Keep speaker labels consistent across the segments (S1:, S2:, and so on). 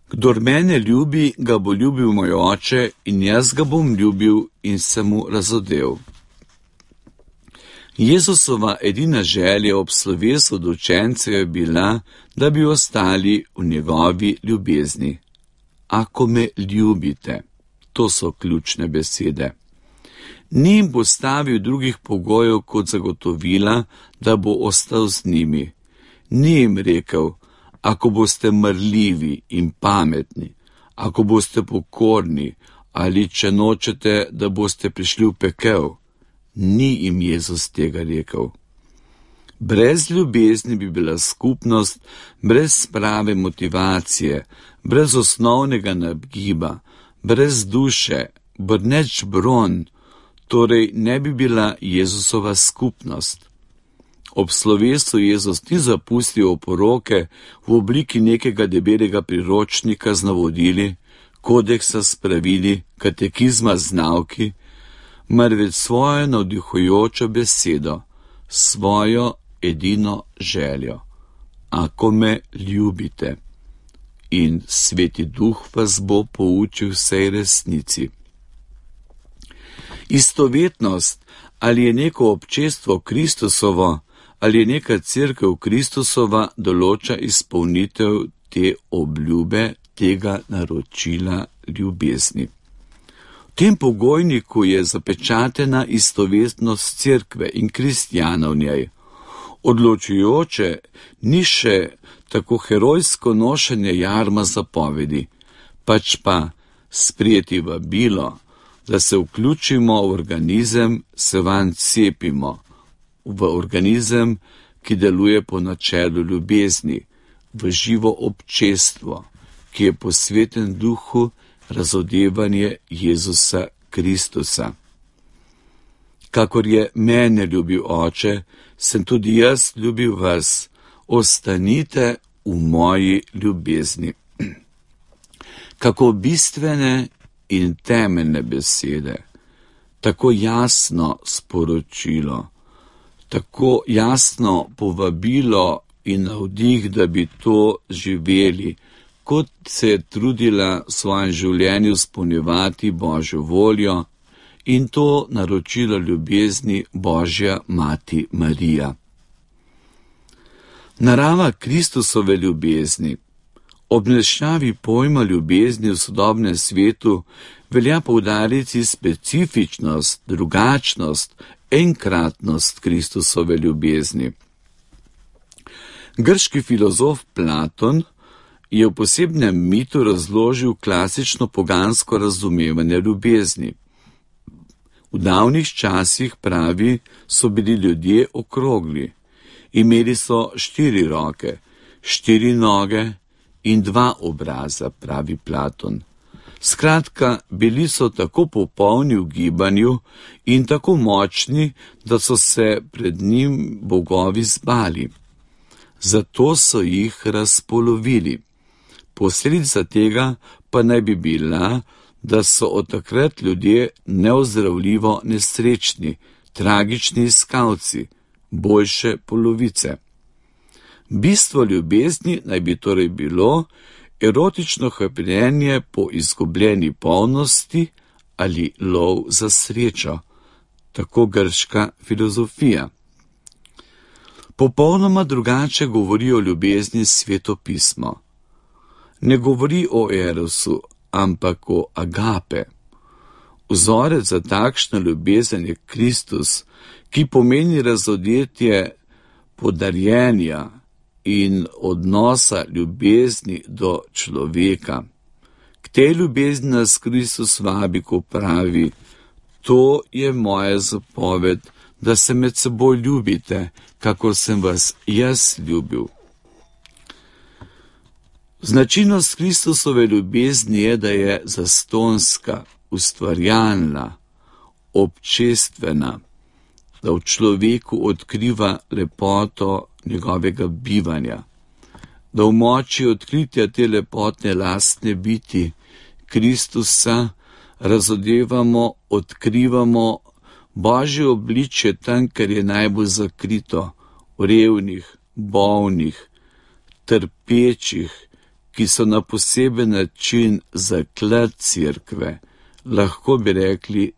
S1: Kdor mene ljubi, ga bo ljubil moj oče in jaz ga bom ljubil in se mu razodel. Jezusova edina želja ob slovesu od učencev je bila, da bi ostali v njegovi ljubezni. Ako me ljubite, to so ključne besede. Ni jim postavil drugih pogojev kot zagotovila, da bo ostal z njimi. Ni jim rekel, ako boste marljivi in pametni, ako boste pokorni ali če nočete, da boste prišli v pekel. Ni jim Jezus tega rekel. Brez ljubezni bi bila skupnost, brez prave motivacije, brez osnovnega nagiba, brez duše, brneč bron, torej ne bi bila Jezusova skupnost. Ob slovesu Jezus ni zapustil oporoke v obliki nekega debelega priročnika z navodili, kodeksa s pravili, katekizma z nauki, marveč svojo navdihujočo besedo, svojo edino željo. Ako me ljubite. In Sveti Duh vas bo poučil vsej resnici. Istovetnost, ali je neko občestvo Kristusovo, ali je neka cerkev Kristusova, določa izpolnitev te obljube, tega naročila ljubezni. V tem pogojniku je zapečatena istovetnost cerkve in kristjanov v njej. Odločujoče ni še tako herojsko nošenje jarma zapovedi, pač pa sprejeti vabilo, da se vključimo v organizem, se vanj cepimo, v organizem, ki deluje po načelu ljubezni, v živo občestvo, ki je posveten duhu razodevanje Jezusa Kristusa. Kakor je mene ljubil Oče, sem tudi jaz ljubil vas, ostanite v moji ljubezni. Kako bistvene in temeljne besede, tako jasno sporočilo, tako jasno povabilo in navdih, da bi to živeli, kot se je trudila v svojem življenju izpolnjevati Božjo voljo in to naročilo ljubezni Božja Mati Marija. Narava Kristusove ljubezni. Ob nešavi pojma ljubezni v sodobnem svetu velja poudariti specifičnost, drugačnost, enkratnost Kristusove ljubezni. Grški filozof Platon je v posebnem mitu razložil klasično pogansko razumevanje ljubezni. V davnih časih, pravi, so bili ljudje okrogli. Imeli so 4 roke, 4 noge in 2 obraza, pravi Platon. Skratka, bili so tako popolni v gibanju in tako močni, da so se pred njim bogovi zbali. Zato so jih razpolovili. Posledica tega pa naj bi bila, da so od takrat ljudje neozdravljivo nesrečni, tragični iskalci, boljše polovice. Bistvo ljubezni naj bi torej bilo erotično hrepenenje po izgubljeni polnosti ali lov za srečo, tako grška filozofija. Popolnoma drugače govori o ljubezni Sveto pismo. Ne govori o erosu, ampak o agape. Vzorec za takšno ljubezen je Kristus, ki pomeni razodetje podarjenja in odnosa ljubezni do človeka. K tej ljubezni nas Kristus vabi, ko pravi: to je moja zapoved, da se med seboj ljubite, kakor sem vas jaz ljubil. Značilnost Kristusove ljubezni je, da je zastonska, ustvarjalna, občestvena, da v človeku odkriva lepoto njegovega bivanja, da v moči odkritja te lepotne lastne biti Kristusa razodevamo, odkrivamo Božje obličje tam, kjer je najbolj zakrito, v revnih, bolnih, trpečih, ki so na poseben način zaklad cerkve, lahko bi rekli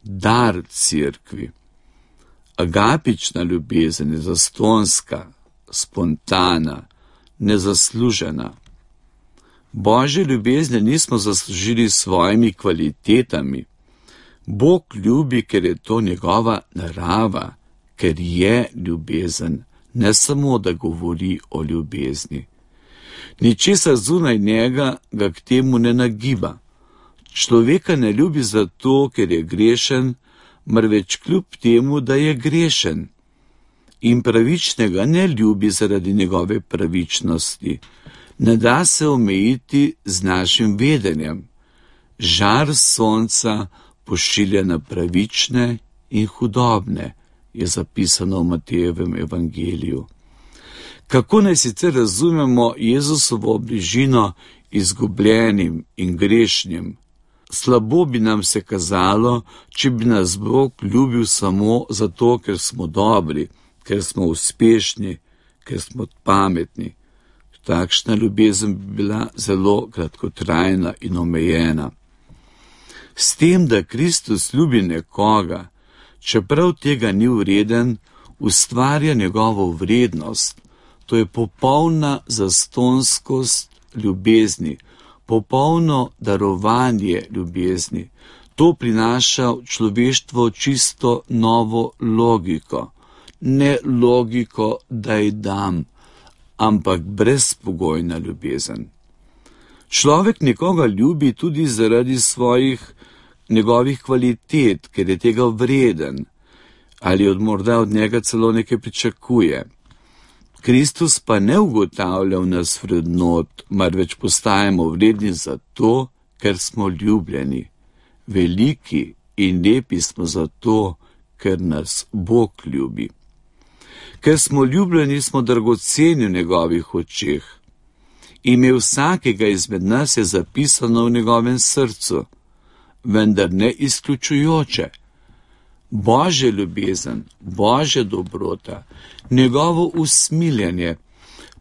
S1: dar cerkvi. Agapična ljubezen je zastonska, spontana, nezaslužena. Božje ljubezni nismo zaslužili s svojimi kvalitetami. Bog ljubi, ker je to njegova narava, ker je ljubezen, ne samo, da govori o ljubezni. Ničesar zunaj njega ga k temu ne nagiba. Človeka ne ljubi zato, ker je grešen, marveč kljub temu, da je grešen. In pravičnega ne ljubi zaradi njegove pravičnosti. Ne da se omejiti z našim vedenjem. Žar sonca pošilja na pravične in hudobne, je zapisano v Matejevem evangeliju. Kako naj sicer razumemo Jezusovo bližino izgubljenim in grešnim? Slabo bi nam se kazalo, če bi nas Bog ljubil samo zato, ker smo dobri, ker smo uspešni, ker smo pametni. Takšna ljubezen bi bila zelo kratkotrajna in omejena. S tem, da Kristus ljubi nekoga, čeprav tega ni vreden, ustvarja njegovo vrednost. To je popolna zastonskost ljubezni, popolno darovanje ljubezni. To prinaša v človeštvo čisto novo logiko. Ne logiko, da ji dam, ampak brezpogojna ljubezen. Človek nekoga ljubi tudi zaradi njegovih kvalitet, ker je tega vreden, ali morda od njega celo nekaj pričakuje. Kristus pa ne ugotavlja v nas vrednot, marveč postajamo vredni zato, ker smo ljubljeni. Veliki in lepi smo zato, ker nas Bog ljubi. Ker smo ljubljeni, smo dragoceni v njegovih očeh. Ime vsakega izmed nas je zapisano v njegovem srcu, vendar ne izključujoče. Božja ljubezen, Božja dobrota, njegovo usmiljenje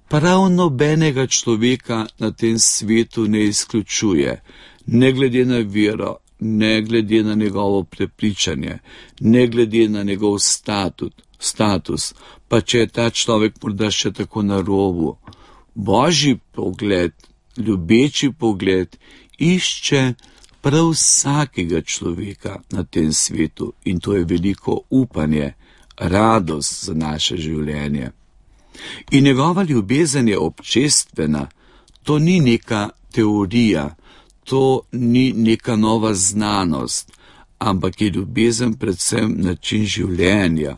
S1: prav nobenega človeka na tem svetu ne izključuje, ne glede na vero, ne glede na njegovo prepričanje, ne glede na njegov status, pa če je ta človek morda še tako na robu. Božji pogled, ljubeči pogled, išče prav vsakega človeka na tem svetu in to je veliko upanje, radost za naše življenje. In njegova ljubezen je občestvena, to ni neka teorija, to ni neka nova znanost, ampak je ljubezen predvsem način življenja,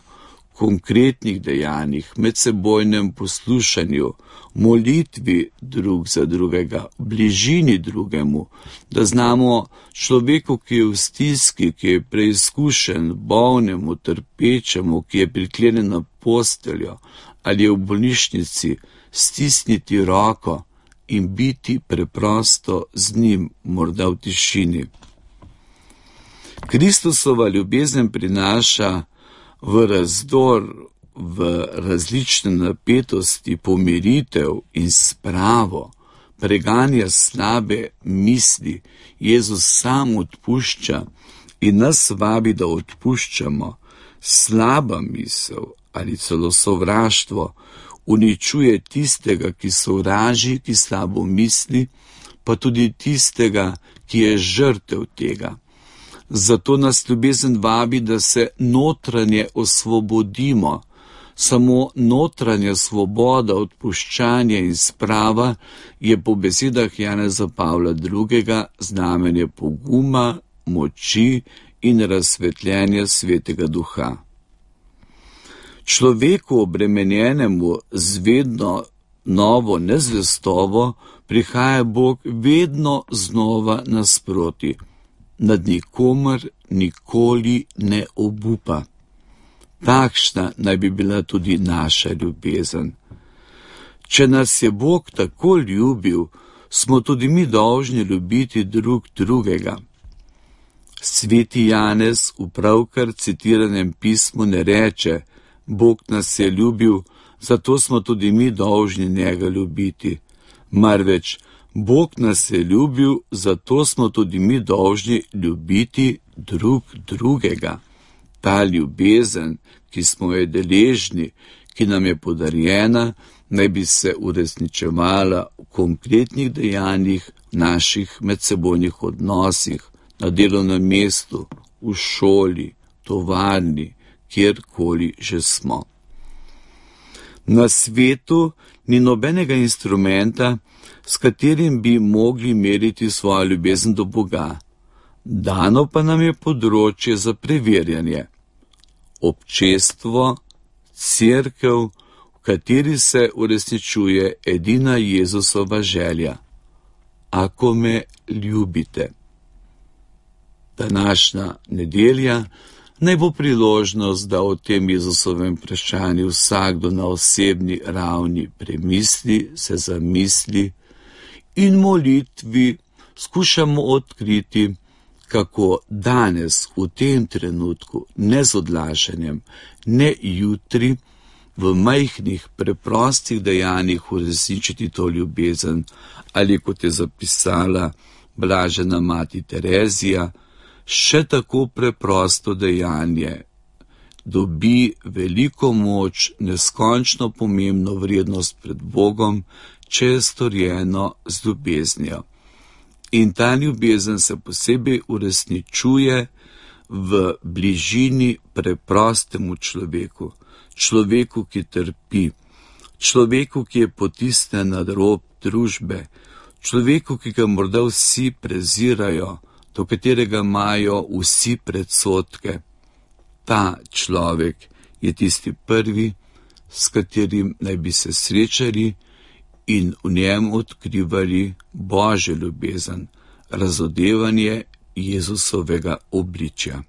S1: konkretnih dejanjih, medsebojnem poslušanju, molitvi drug za drugega, bližini drugemu, da znamo človeku, ki je v stiski, ki je preizkušen, bolnemu, trpečemu, ki je priklenjen na posteljo ali je v bolnišnici, stisniti roko in biti preprosto z njim, morda v tišini. Kristusova ljubezen prinaša v razdor, v različne napetosti, pomiritev in spravo, preganja slabe misli. Jezus sam odpušča in nas vabi, da odpuščamo. Slaba misel ali celo sovraštvo uničuje tistega, ki sovraži, ki slabo misli, pa tudi tistega, ki je žrtev tega. Zato nas ljubezen vabi, da se notranje osvobodimo. Samo notranja svoboda, odpuščanje in sprava je po besedah Janeza Pavla II. Znamenje poguma, moči in razsvetljenja Svetega Duha. Človeku obremenjenemu z vedno novo nezvestobo prihaja Bog vedno znova nasproti. Nad nikomer nikoli ne obupa. Takšna naj bi bila tudi naša ljubezen. Če nas je Bog tako ljubil, smo tudi mi dolžni ljubiti drug drugega. Sveti Janez v pravkar citiranem pismu ne reče: Bog nas je ljubil, zato smo tudi mi dolžni njega ljubiti, marveč Bog nas je ljubil, zato smo tudi mi dolžni ljubiti drug drugega. Ta ljubezen, ki smo jo deležni, ki nam je podarjena, naj bi se uresničevala v konkretnih dejanjih, v naših medsebojnih odnosih, na delovnem mestu, v šoli, tovarni, kjerkoli že smo. Na svetu ni nobenega instrumenta, s katerim bi mogli meriti svojo ljubezen do Boga. Dano pa nam je področje za preverjanje. Občestvo, cerkev, v kateri se uresničuje edina Jezusova želja. Ako me ljubite. Današnja nedelja naj bo priložnost, da o tem Jezusovem vprašanju vsakdo na osebni ravni premisli, se zamisli in molitvi skušamo odkriti, kako danes v tem trenutku, ne z odlašanjem, ne jutri, v majhnih, preprostih dejanjih uresničiti to ljubezen, ali kot je zapisala blažena mati Terezija, še tako preprosto dejanje dobi veliko moč, neskončno pomembno vrednost pred Bogom, če je storjeno z ljubeznijo. In ta ljubezen se posebej uresničuje v bližini preprostemu človeku, človeku, ki trpi, človeku, ki je potisnjen na rob družbe, človeku, ki ga morda vsi prezirajo, do katerega imajo vsi predsodke. Ta človek je tisti prvi, s katerim naj bi se srečali in v njem odkrivali Božjo ljubezen, razodevanje Jezusovega obličja.